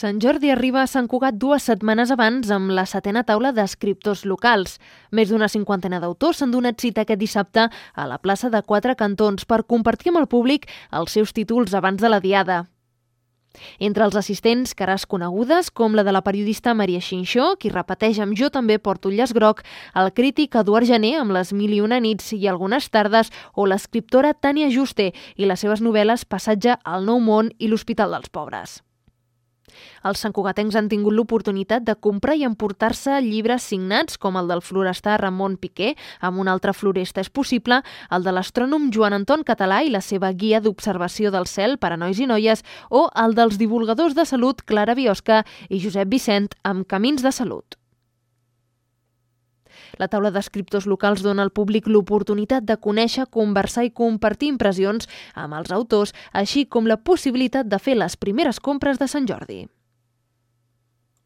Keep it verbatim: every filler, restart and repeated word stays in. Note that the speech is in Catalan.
Sant Jordi arriba a Sant Cugat dues setmanes abans amb la setena taula d'escriptors locals. Més d'una cinquantena d'autors s'han donat cita aquest dissabte a la plaça de Quatre Cantons per compartir amb el públic els seus títols abans de la diada. Entre els assistents, cares conegudes, com la de la periodista Maria Xinxó, qui repeteix amb Jo també porto el llaç groc, el crític Eduard Jané amb Les mil i una nits i algunes tardes, o l'escriptora Tània Juste i les seves novel·les Passatge al nou món i L'Hospital dels Pobres. Els santcugatencs han tingut l'oportunitat de comprar i emportar-se llibres signats com el del florestà Ramon Piqué, amb un altre floresta és possible, el de l'astrònom Joan Anton Català i la seva guia d'observació del cel per a nois i noies, o el dels divulgadors de salut Clara Biosca i Josep Vicent amb Camins de Salut. La taula d'escriptors locals dona al públic l'oportunitat de conèixer, conversar i compartir impressions amb els autors, així com la possibilitat de fer les primeres compres de Sant Jordi.